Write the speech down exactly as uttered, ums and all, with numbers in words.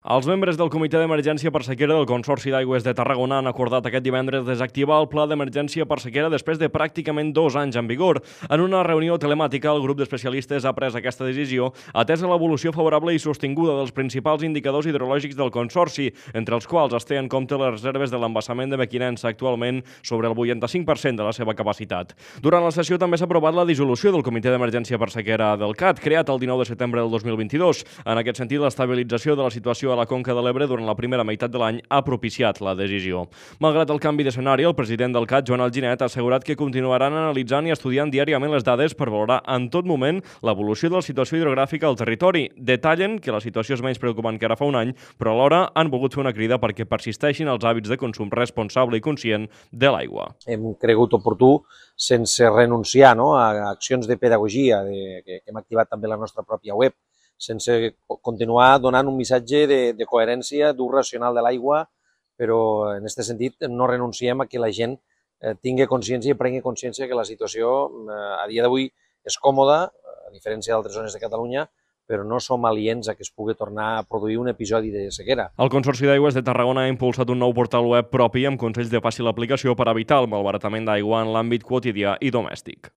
Els membres del Comitè d'Emergència per Sequera del Consorci d'Aigües de Tarragona han acordat aquest divendres desactivar el Pla d'Emergència per Sequera després de pràcticament dos anys en vigor. En una reunió telemàtica, el grup d'especialistes ha pres aquesta decisió atesa l'evolució favorable i sostinguda dels principals indicadors hidrològics del Consorci, entre els quals es té en compte les reserves de l'embassament de Mequinensa, actualment sobre el vuitanta-cinc per cent de la seva capacitat. Durant la sessió també s'ha aprovat la dissolució del Comitè d'Emergència per Sequera del C A T, creat el dinou de setembre del dos mil vint-i-dos. En aquest sentit, l'estabilització de la situació a la Conca de l'Ebre durant la primera meitat de l'any ha propiciat la decisió. Malgrat el canvi d'escenari, el president del C A T, Joan Alginet, ha assegurat que continuaran analitzant i estudiant diàriament les dades per valorar en tot moment l'evolució de la situació hidrogràfica al territori. Detallen que la situació és menys preocupant que ara fa un any, però alhora han volgut fer una crida perquè persisteixin els hàbits de consum responsable i conscient de l'aigua. Hem cregut oportú, sense renunciar no, a accions de pedagogia de, que hem activat també la nostra pròpia web, sense continuar donant un missatge de, de coherència, d'ús racional de l'aigua, però en aquest sentit no renunciem a que la gent eh, tingui consciència i prengui consciència que la situació eh, a dia d'avui és còmoda, a diferència d'altres zones de Catalunya, però no som aliens a que es pugui tornar a produir un episodi de sequera. El Consorci d'Aigües de Tarragona ha impulsat un nou portal web propi amb consells de fàcil aplicació per evitar el malbaratament d'aigua en l'àmbit quotidià i domèstic.